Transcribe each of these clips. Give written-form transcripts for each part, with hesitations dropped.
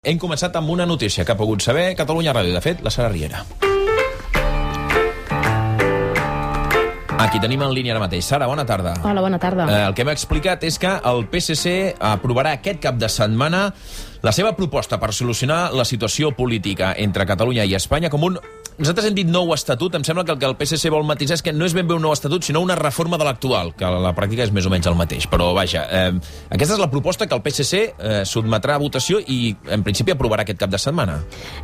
Hem començat amb una notícia que ha pogut saber Catalunya Ràdio, de fet, la Sara Riera. Aquí tenim en línia ara mateix. Sara, bona tarda. Hola, bona tarda. El que m'ha explicat és que el PSC aprovarà aquest cap de setmana la seva proposta per solucionar la situació política entre Catalunya i Espanya com un... Nosaltres hem dit nou estatut, em sembla que el que el PSC vol matisar és que no és ben bé un nou estatut, sinó una reforma de l'actual, que a la pràctica és més o menys el mateix. Però, vaja, aquesta és la proposta que el PSC sotmetrà a votació i, en principi, aprovarà aquest cap de setmana.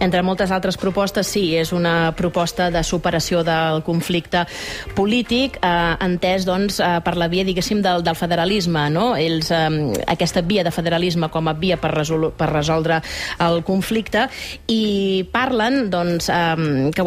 Entre moltes altres propostes, sí, és una proposta de superació del conflicte polític, entès, doncs, per la via, diguéssim, del federalisme, no? Ells, aquesta via de federalisme com a via per resoldre el conflicte, i parlen, doncs,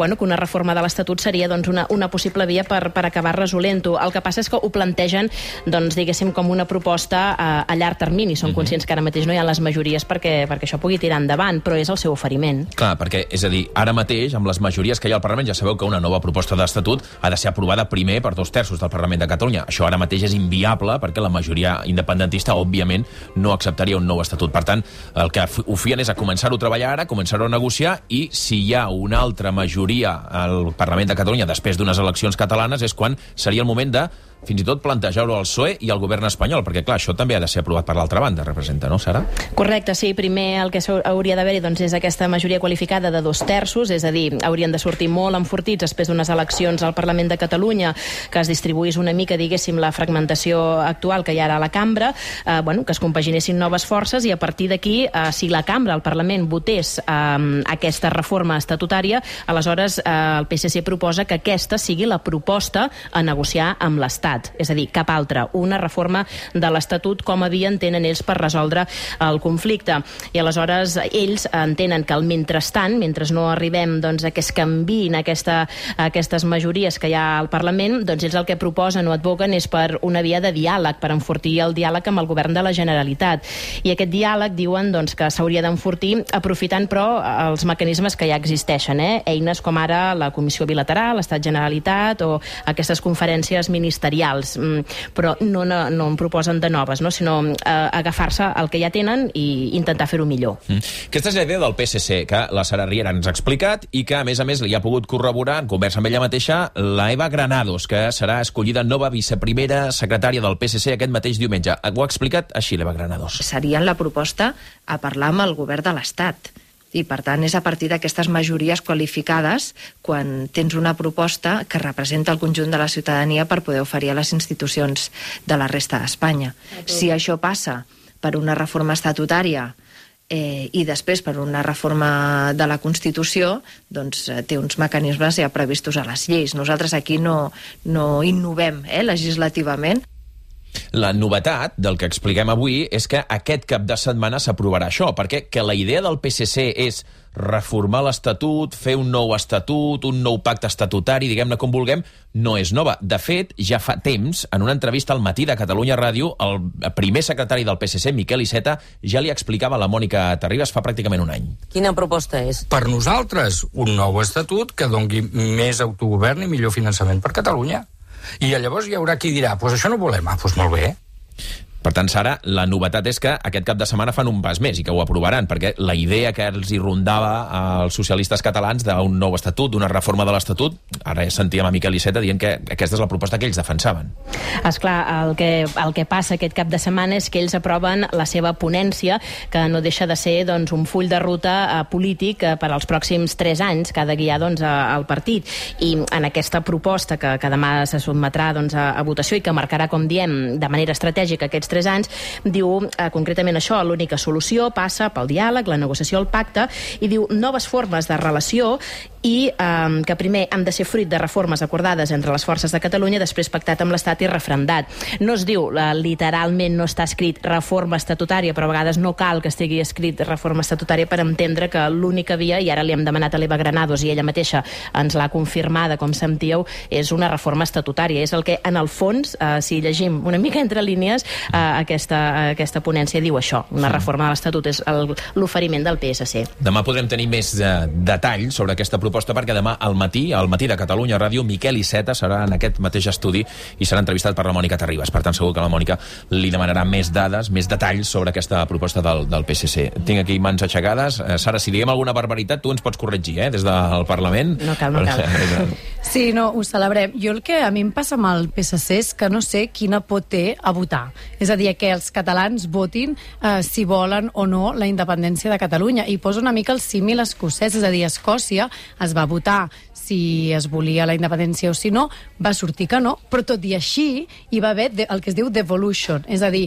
que una reforma de l'Estatut seria doncs, una possible via per acabar resolent-ho. El que passa és que ho plantegen, doncs, diguéssim, com una proposta a llarg termini. Són conscients que ara mateix no hi ha les majories perquè això pugui tirar endavant, però és el seu oferiment. Clar, perquè, és a dir, ara mateix, amb les majories que hi ha al Parlament, ja sabeu que una nova proposta d'Estatut ha de ser aprovada primer per 2/3 del Parlament de Catalunya. Això ara mateix és inviable perquè la majoria independentista, òbviament, no acceptaria un nou Estatut. Per tant, el que ho fien és a començar-ho a treballar ara, començar-ho a negociar, i si hi ha una altra majoria al Parlament de Catalunya després d'unes eleccions catalanes és quan seria el moment de fins i tot plantejar-ho al PSOE i al govern espanyol, perquè clar, això també ha de ser aprovat per l'altra banda, representa, no, Sara? Correcte, sí. Primer el que hauria d'haver-hi doncs, és aquesta majoria qualificada de 2/3, és a dir, haurien de sortir molt enfortits després d'unes eleccions al Parlament de Catalunya, que es distribuís una mica, diguéssim, la fragmentació actual que hi ha ara a la cambra, que es compaginessin noves forces, i a partir d'aquí, si la cambra, el Parlament, votés aquesta reforma estatutària, aleshores el PSC proposa que aquesta sigui la proposta a negociar amb l'Estat. És a dir, cap altra, una reforma de l'Estatut com a via entenen ells per resoldre el conflicte. I aleshores ells entenen que al mentrestant, mentre no arribem doncs, a que es canviïn aquestes majories que hi ha al Parlament, doncs ells el que proposen o advoguen és per una via de diàleg, per enfortir el diàleg amb el govern de la Generalitat. I aquest diàleg diuen doncs, que s'hauria d'enfortir aprofitant, però, els mecanismes que ja existeixen, eines com ara la Comissió Bilateral, l'Estat-Generalitat o aquestes conferències ministerials. Però no en proposen de noves, no? Sinó agafar-se el que ja tenen i intentar fer-ho millor. Aquesta és la idea del PSC, que la Sara Riera ens ha explicat i que, a més, li ha pogut corroborar, en conversa amb ella mateixa, la Eva Granados, que serà escollida nova viceprimera secretària del PSC aquest mateix diumenge. Ho ha explicat així, l'Eva Granados. Seria la proposta a parlar amb el govern de l'Estat. I, per tant, és a partir d'aquestes majories qualificades quan tens una proposta que representa el conjunt de la ciutadania per poder oferir a les institucions de la resta d'Espanya. Si això passa per una reforma estatutària i després per una reforma de la Constitució, doncs té uns mecanismes ja previstos a les lleis. Nosaltres aquí no innovem legislativament. La novetat del que expliquem avui és que aquest cap de setmana s'aprovarà això, perquè que la idea del PSC és reformar l'Estatut, fer un nou Estatut, un nou pacte estatutari, diguem-ne com vulguem, no és nova. De fet, ja fa temps, en una entrevista al Matí de Catalunya Ràdio, el primer secretari del PSC, Miquel Iceta, ja li explicava a la Mònica Terribas fa pràcticament un any. Quina proposta és? Per nosaltres, un nou Estatut que doni més autogovern i millor finançament per Catalunya. I llavors hi haurà qui dirà, doncs això no volem. Doncs molt bé. Per tant, Sara, la novetat és que aquest cap de setmana fan un pas més i que ho aprovaran, perquè la idea que els hi rondava als socialistes catalans d'un nou estatut, d'una reforma de l'Estatut, ara sentíem a Miquel Iceta dient que aquesta és la proposta que ells defensaven. Esclar, el que passa aquest cap de setmana és que ells aproven la seva ponència, que no deixa de ser doncs, un full de ruta polític per als pròxims 3 anys que ha de guiar doncs, el partit. I en aquesta proposta que demà se sotmetrà doncs, a votació i que marcarà, com diem, de manera estratègica aquests 3 anys, diu concretament això: l'única solució passa pel diàleg, la negociació, el pacte, i diu noves formes de relació i que primer han de ser fruit de reformes acordades entre les forces de Catalunya, després pactat amb l'Estat i refrendat. No es diu, literalment no està escrit reforma estatutària, però a vegades no cal que estigui escrit reforma estatutària per entendre que l'única via, i ara li hem demanat a l'Eva Granados i ella mateixa ens l'ha confirmada, com sentíeu, és una reforma estatutària. És el que, en el fons, si llegim una mica entre línies, aquesta ponència diu això, una reforma de l'Estatut, és l'oferiment del PSC. Demà podrem tenir més detalls sobre aquesta proposta proposta perquè demà al matí de Catalunya Ràdio, Miquel Iceta serà en aquest mateix estudi i serà entrevistat per la Mònica Terribas. Per tant, segur que la Mònica li demanarà més dades, més detalls sobre aquesta proposta del PSC. Tinc aquí mans aixecades. Sara, si diguem alguna barbaritat, tu ens pots corregir, des del Parlament. No cal. Sí, no, ho celebrem. Jo el que a mi em passa amb el PSC és que no sé quina por té a votar. És a dir, que els catalans votin si volen o no la independència de Catalunya. I poso una mica el símil escocès, és a dir, a Escòcia es va votar si es volia la independència o si no, va sortir que no, però tot i així hi va haver el que es diu devolution, és a dir,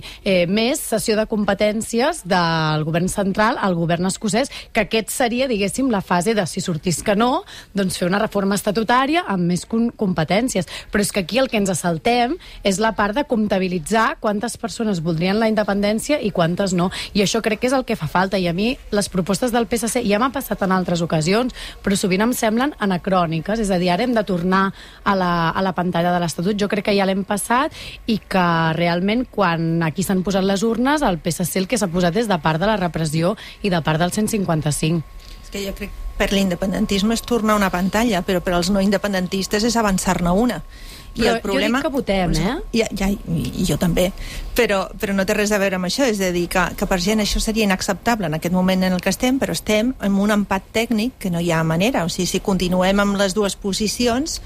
més cessió de competències del govern central al govern escocès, que aquest seria, diguéssim, la fase de si sortís que no, doncs fer una reforma estatutària amb més competències. Però és que aquí el que ens saltem és la part de comptabilitzar quantes persones voldrien la independència i quantes no. I això crec que és el que fa falta. I a mi les propostes del PSC ja m'ha passat en altres ocasions, però sovint em semblen anacròniques. És a dir, ara hem de tornar a la pantalla de l'Estatut. Jo crec que ja l'hem passat i que realment quan aquí s'han posat les urnes, el PSC el que s'ha posat és de part de la repressió i de part del 155. És que jo crec que per l'independentisme és tornar a una pantalla, però per als no independentistes és avançar-ne una. I però el problema, jo dic que votem, i jo també, però no té res a veure amb això, és a dir, que per gent això seria inacceptable en aquest moment en el que estem, però estem en un empat tècnic que no hi ha manera, o sigui, si continuem amb les dues posicions,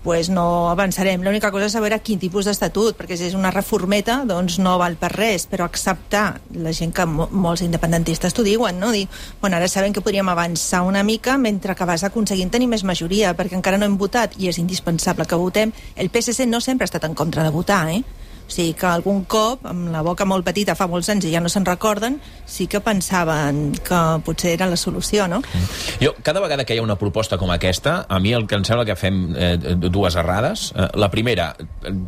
pues no avançarem. L'única cosa és saber a quin tipus d'estatut, perquè si és una reformeta, doncs no val per res, però acceptar la gent que molts independentistes t'ho diuen, no? Dir, bueno, ara sabem que podríem avançar una mica mentre que vas aconseguint tenir més majoria, perquè encara no hem votat i és indispensable que votem. El PSC no sempre ha estat en contra de votar, O sigui que algun cop, amb la boca molt petita fa molts anys i ja no se'n recorden, sí que pensaven que potser era la solució, no? Jo, cada vegada que hi ha una proposta com aquesta, a mi el que em sembla que fem dues errades. La primera,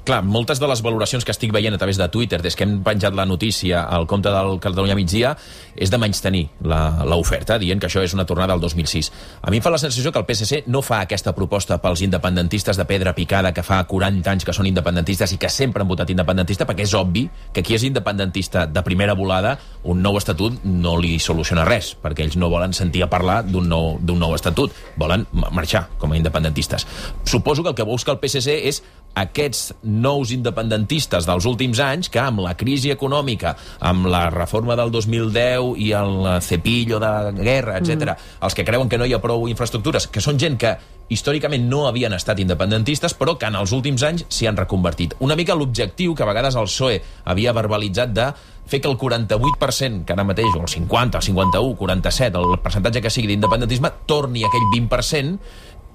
clar, moltes de les valoracions que estic veient a través de Twitter des que hem penjat la notícia al compte del Catalunya Migdia és de menystenir l'oferta, dient que això és una tornada al 2006. A mi em fa la sensació que el PSC no fa aquesta proposta pels independentistes de pedra picada que fa 40 anys que són independentistes i que sempre han votat independentista, perquè és obvi que qui és independentista de primera volada, un nou estatut no li soluciona res, perquè ells no volen sentir a parlar d'un nou estatut, volen marxar com a independentistes. Suposo que el que busca el PSC és aquests nous independentistes dels últims anys que amb la crisi econòmica, amb la reforma del 2010 i el cepillo de guerra, etc., els que creuen que no hi ha prou infraestructures, que són gent que històricament no havien estat independentistes, però que en els últims anys s'hi han reconvertit. Una mica l'objectiu que a vegades el PSOE havia verbalitzat de fer que el 48%, que ara mateix, o el 50, el 51, 47, el percentatge que sigui d'independentisme, torni a aquell 20%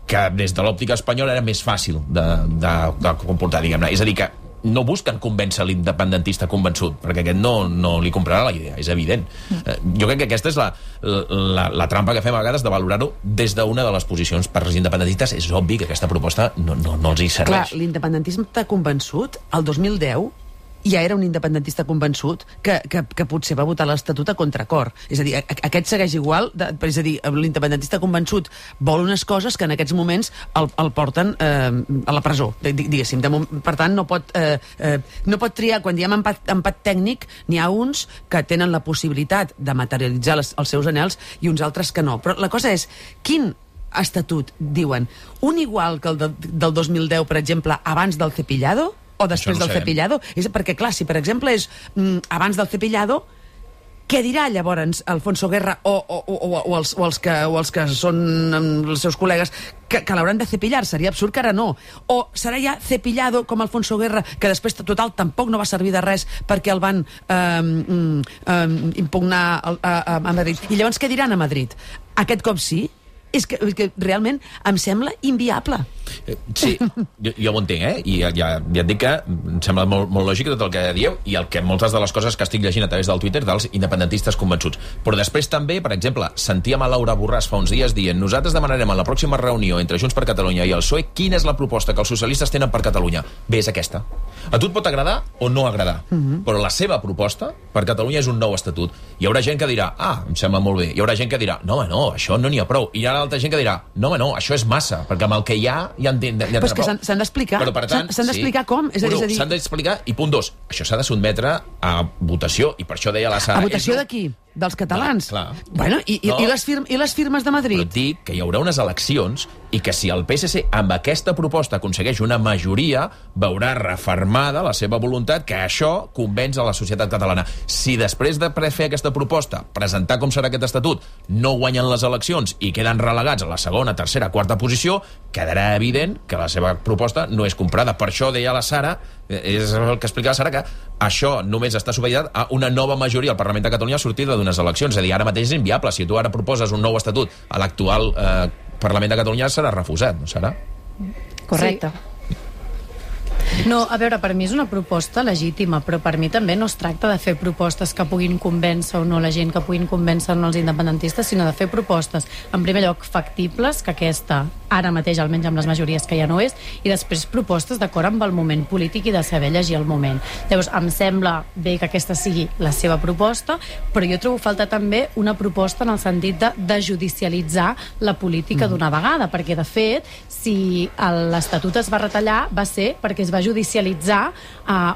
que des de l'òptica espanyola era més fàcil de comportar, diguem-ne. És a dir, que no busquen convèncer l'independentista convençut, perquè aquest no li comprarà la idea, és evident. Jo crec que aquesta és la trampa que fem a vegades de valorar-ho des d'una de les posicions. Per als independentistes és obvi que aquesta proposta no els hi serveix. Clar, l'independentisme t'ha convençut el 2010 ja era un independentista convençut que potser va votar l'Estatut a contracor. És a dir, aquest segueix igual, és a dir, l'independentista convençut vol unes coses que en aquests moments el porten a la presó, diguéssim. Per tant, no pot triar. Quan diem empat tècnic, n'hi ha uns que tenen la possibilitat de materialitzar els seus anhels i uns altres que no. Però la cosa és, quin estatut diuen? Un igual que el del 2010, per exemple, abans del cepillado? O després del cepillado? Perquè, clar, si per exemple és abans del cepillado, què dirà llavors Alfonso Guerra o els que són els seus col·legues que l'hauran de cepillar? Seria absurd que ara no. O serà ja cepillado com Alfonso Guerra, que després total tampoc no va servir de res perquè el van impugnar a Madrid. I llavors què diran a Madrid? Aquest cop sí? És que realment em sembla inviable. Sí, jo ho entenc, I ja et dic que em sembla molt lògic tot el que dieu i moltes de les coses que estic llegint a través del Twitter dels independentistes convençuts. Però després també, per exemple, sentíem a Laura Borràs fa uns dies dient: nosaltres demanarem a la pròxima reunió entre Junts per Catalunya i el PSOE quina és la proposta que els socialistes tenen per Catalunya. Bé, és aquesta. A tu et pot agradar o no agradar, però la seva proposta per Catalunya és un nou estatut. Hi haurà gent que dirà: em sembla molt bé. Hi haurà gent que dirà: no, això no n'hi ha prou. I hi ha altra gent que dirà: no, això és massa, perquè amb el que hi ha en tenen prou. Però és que s'han d'explicar. S'han d'explicar com. És a dir, s'han d'explicar, i punt 2, això s'ha de sotmetre a votació, i per això deia la Sara... A votació de qui? dels catalans. Clar. Bueno, i les firmes de Madrid? Però et dic que hi haurà unes eleccions i que si el PSC amb aquesta proposta aconsegueix una majoria, veurà refermada la seva voluntat que això convenç a la societat catalana. Si després de fer aquesta proposta, presentar com serà aquest estatut, no guanyen les eleccions i queden relegats a la segona, tercera, quarta posició, quedarà evident que la seva proposta no és comprada. Per això deia la Sara, és el que explicava la Sara, que això només està supeditat a una nova majoria al Parlament de Catalunya sortida d'unes eleccions. És a dir, ara mateix és inviable. Si tu ara proposes un nou estatut a l'actual Parlament de Catalunya serà refusat, no serà? Correcte. Sí. No, a veure, per mi és una proposta legítima, però per mi també no es tracta de fer propostes que puguin convèncer o no la gent, que puguin convèncer o no els independentistes, sinó de fer propostes, en primer lloc, factibles, que aquesta, ara mateix, almenys amb les majories que ja no és, i després propostes d'acord amb el moment polític i de saber llegir el moment. Llavors, em sembla bé que aquesta sigui la seva proposta, però jo trobo falta també una proposta en el sentit de judicialitzar la política d'una vegada, perquè, de fet, si l'Estatut es va retallar, va ser perquè es va judicialitzar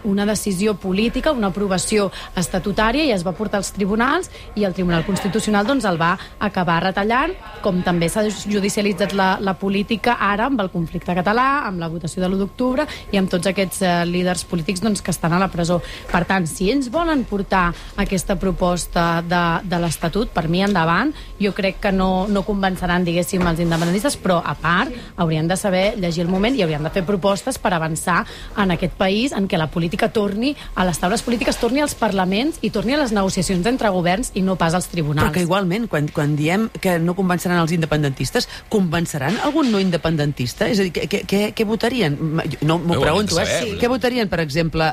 una decisió política, una aprovació estatutària, i es va portar als tribunals, i el Tribunal Constitucional doncs el va acabar retallant, com també s'ha judicialitzat la política ara amb el conflicte català, amb la votació de l'1 d'octubre i amb tots aquests líders polítics doncs, que estan a la presó. Per tant, si ells volen portar aquesta proposta de l'Estatut, per mi endavant, jo crec que no convenceran, diguéssim, els independentistes, però a part haurien de saber llegir el moment i haurien de fer propostes per avançar en aquest país, en què la política torni a les taules polítiques, torni als parlaments i torni a les negociacions entre governs i no pas als tribunals. Però que igualment, quan diem que no convenceran els independentistes, convenceran algun no independentista? És a dir, què votarien? No m'ho pregunto, Què votarien, per exemple,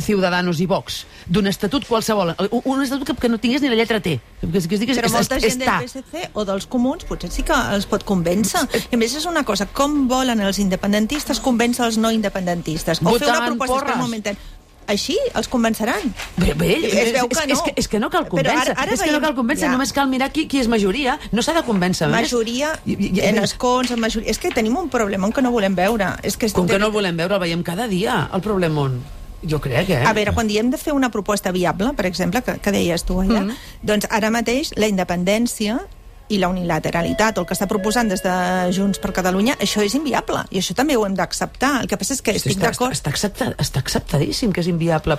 Ciudadanos i Vox? D'un estatut qualsevol. Un estatut que no tingués ni la lletra T. Però molta gent del PSC o dels comuns potser sí que els pot convèncer. I a més és una cosa, com volen els independentistes convèncer els no independentistes? O fer una proposta per un moment. Així els convenceran. Es veu que no. És que no cal convèncer. És que no cal convèncer, només cal mirar qui és majoria. No s'ha de convèncer més. Majoria, en escons, en majoria... És que tenim un problema que no volem veure. Com que no el volem veure, el veiem cada dia, el problema. Jo crec, A veure, quan diem de fer una proposta viable, per exemple, que deies tu allà, doncs ara mateix la independència i la unilateralitat, o el que està proposant des de Junts per Catalunya, això és inviable, i això també ho hem d'acceptar. El que passa és que estic d'acord... Està acceptadíssim que és inviable.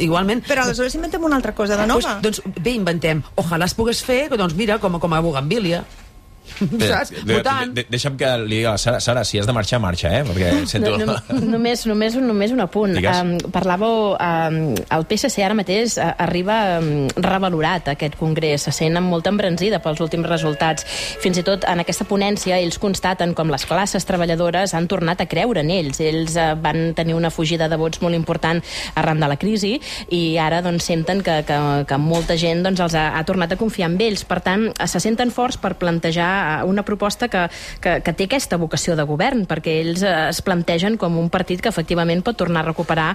Igualment... Però aleshores inventem una altra cosa de nova. Doncs bé, inventem. Ojalà es pogués fer, doncs mira, com a Bougainvillea. Saps? Votant. Deixa'm que li digui a la Sara, si has de marxar, marxa, perquè sento... Només un apunt. Parlàveu, el PSC ara mateix arriba revalorat, aquest congrés, se sent molt embranzida pels últims resultats. Fins i tot en aquesta ponència ells constaten com les classes treballadores han tornat a creure en ells. Ells van tenir una fugida de vots molt important arran de la crisi i ara doncs, senten que molta gent doncs, els ha tornat a confiar en ells. Per tant, se senten forts per plantejar una proposta que té aquesta vocació de govern, perquè ells es plantegen com un partit que efectivament pot tornar a recuperar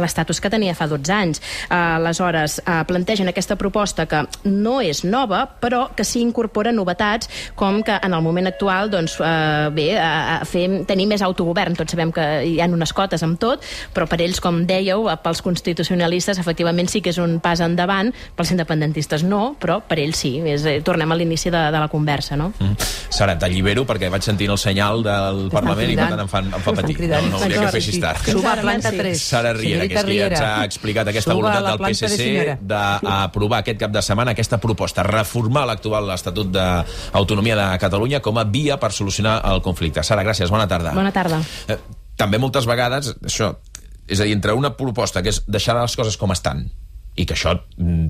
l'estatus que tenia fa 12 anys. Aleshores, plantegen aquesta proposta que no és nova, però que sí incorpora novetats, com que en el moment actual doncs, tenir més autogovern. Tots sabem que hi ha unes cotes amb tot, però per ells, com dèieu, pels constitucionalistes efectivament sí que és un pas endavant, pels independentistes no, però per ells sí. Tornem a l'inici de la conversa, no? Sara, t'allibero perquè vaig sentint el senyal del Parlament i per tant em fa patir. No hauria que fessis tard. Suba a planta 3. Sara Riera, que és qui ens ha explicat aquesta voluntat del PSC d'aprovar aquest cap de setmana aquesta proposta, reformar l'actual Estatut d'Autonomia de Catalunya com a via per solucionar el conflicte. Sara, gràcies, bona tarda. Bona tarda. També moltes vegades, això, és a dir, entre una proposta que és deixar les coses com estan, i que això,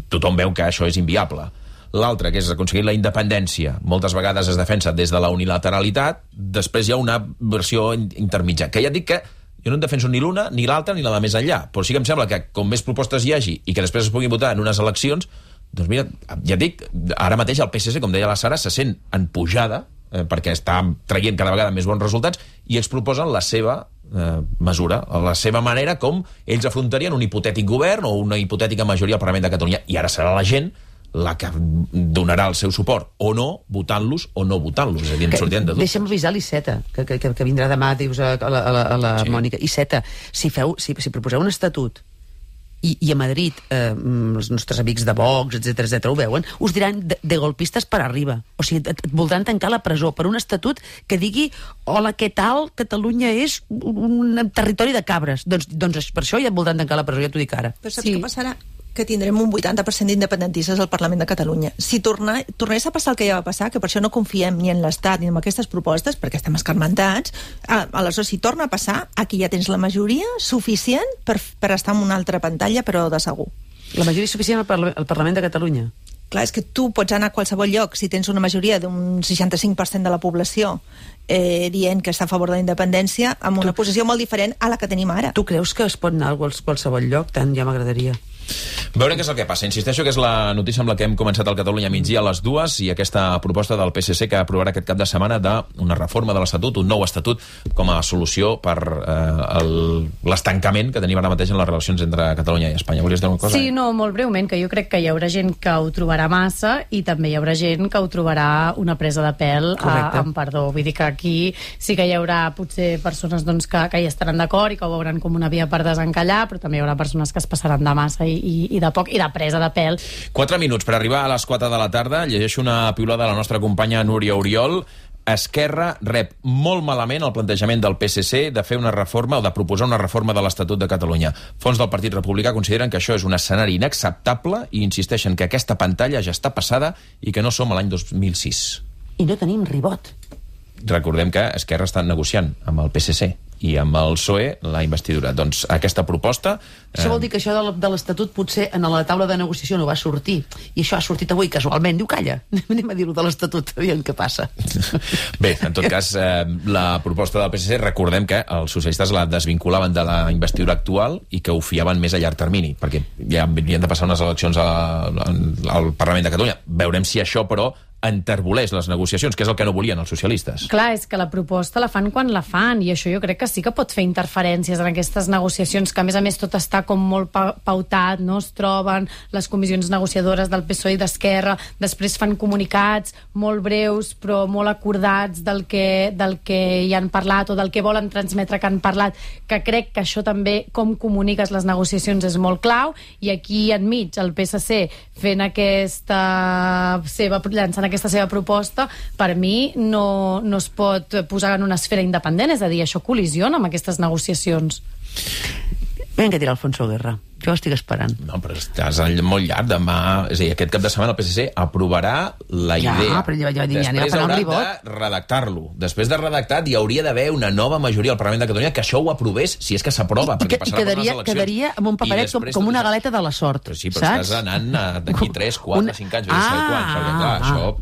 tothom veu que això és inviable, l'altra, que és aconseguir la independència, moltes vegades es defensa des de la unilateralitat, després hi ha una versió intermitja, que ja et dic que jo no en defenso ni l'una, ni l'altra, ni la de més enllà, però sí que em sembla que com més propostes hi hagi i que després es puguin votar en unes eleccions, doncs mira, ja et dic, ara mateix el PSC, com deia la Sara, se sent en pujada, perquè està traient cada vegada més bons resultats, i ells proposen la seva mesura, la seva manera com ells afrontarien un hipotètic govern o una hipotètica majoria al Parlament de Catalunya, i ara serà la gent la que donarà el seu suport o no, votant-los o no votant-los, és a dir, en sortien de dubtes. Deixa'm avisar l'Iceta, que vindrà demà, dius, a la Mònica. Iceta, si proposeu un estatut i a Madrid els nostres amics de Vox, etc ho veuen, us diran de golpistes per arriba. O sigui, et voldran tancar la presó per un estatut que digui hola, què tal, Catalunya és un territori de cabres. Doncs per això ja et voldran tancar la presó, ja t'ho dic ara. Però saps què passarà? Que tindrem un 80% d'independentistes al Parlament de Catalunya. Si tornés a passar el que ja va passar, que per això no confiem ni en l'Estat ni en aquestes propostes, perquè estem escarmentats, aleshores, si torna a passar, aquí ja tens la majoria suficient per estar en una altra pantalla, però de segur. La majoria suficient al Parlament de Catalunya? Clar, és que tu pots anar a qualsevol lloc si tens una majoria d'un 65% de la població dient que està a favor de la independència amb una posició molt diferent a la que tenim ara. Tu creus que es pot anar a qualsevol lloc? Tant ja m'agradaria. Veurem què és el que passa. Insisteixo que és la notícia amb la que hem començat al Catalunya migdia a les 2 i aquesta proposta del PSC que aprovarà aquest cap de setmana d'una reforma de l'Estatut, un nou Estatut com a solució per l'estancament que tenim ara mateix en les relacions entre Catalunya i Espanya. Volies dir una cosa? Sí, no, molt breument, que jo crec que hi haurà gent que ho trobarà massa i també hi haurà gent que ho trobarà una presa de pèl amb perdó. Vull dir que aquí sí que hi haurà potser persones doncs, que hi estaran d'acord i que ho veuran com una via per desencallar, però també hi haurà persones que es passaran de massa i de poc, i de presa de pèl. 4 minuts per arribar a les 4 de la tarda. Llegeixo una piulada de la nostra companya Núria Oriol. Esquerra rep molt malament el plantejament del PSC de fer una reforma o de proposar una reforma de l'Estatut de Catalunya. Fons del Partit Republicà consideren que això és un escenari inacceptable i insisteixen que aquesta pantalla ja està passada i que no som a l'any 2006. I no tenim ribot. Recordem que Esquerra està negociant amb el PSC i amb el PSOE la investidura. Doncs aquesta proposta... Això vol dir que això de l'Estatut potser en la taula de negociació no va sortir, i això ha sortit avui casualment. Diu, calla, anem a dir-ho de l'Estatut, aviam què passa. Bé, en tot cas, la proposta del PSC, recordem que els socialistes la desvinculaven de la investidura actual i que ho fiaven més a llarg termini, perquè ja havien de passar unes eleccions al Parlament de Catalunya. Veurem si això, però, enterboleix les negociacions, que és el que no volien els socialistes. Clar, és que la proposta la fan quan la fan, i això jo crec que sí que pot fer interferències en aquestes negociacions, que a més tot està com molt pautat, no? Es troben les comissions negociadores del PSOE i d'Esquerra, després fan comunicats molt breus però molt acordats del que hi han parlat o del que volen transmetre que han parlat, que crec que això també, com comuniques les negociacions, és molt clau, i aquí enmig el PSC fent llançant aquesta seva proposta, per mi no es pot posar en una esfera independent, és a dir, això col·lisiona amb aquestes negociacions. Vinga, dirà Alfonso Guerra. Jo ho estic esperant. No, però estàs molt llarg. Demà, és a dir, aquest cap de setmana el PSC aprovarà la idea. Però després haurà de redactar-lo. Després de redactat hi hauria d'haver una nova majoria al Parlament de Catalunya que això ho aprovés, si és que s'aprova, perquè passarà per les eleccions. Quedaria amb un paperet com una galeta de la sort. Però sí, però estàs anant d'aquí 3, 4, 5 anys, perquè clar, això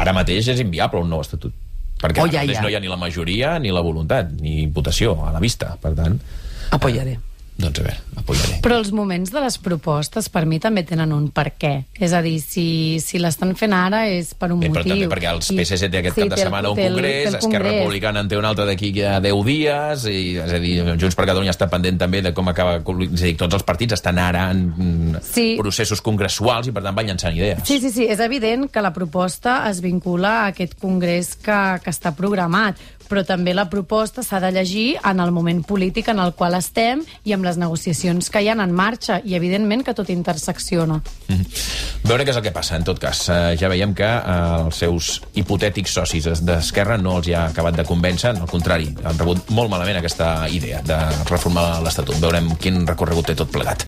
ara mateix és inviable un nou estatut. Perquè ara mateix no hi ha ni la majoria ni la voluntat, ni votació a la vista. Per tant... Apoyaré. Doncs a veure, apoyaré. Però els moments de les propostes per mi també tenen un per què. És a dir, si l'estan fent ara és per un motiu. Però també perquè el PSC té aquest cap de setmana un congrés, Esquerra Republicana en té un altre d'aquí a 10 dies, és a dir, Junts per Catalunya està pendent també de com acaba... És a dir, tots els partits estan ara en processos congressuals i per tant van llançant idees. Sí, és evident que la proposta es vincula a aquest congrés que està programat, però també la proposta s'ha de llegir en el moment polític en el qual estem i amb les negociacions que hi ha en marxa, i evidentment que tot intersecciona. Veure què és el que passa, en tot cas. Ja veiem que els seus hipotètics socis d'Esquerra no els hi ha acabat de convèncer, al contrari, han rebut molt malament aquesta idea de reformar l'Estatut. Veurem quin recorregut té tot plegat.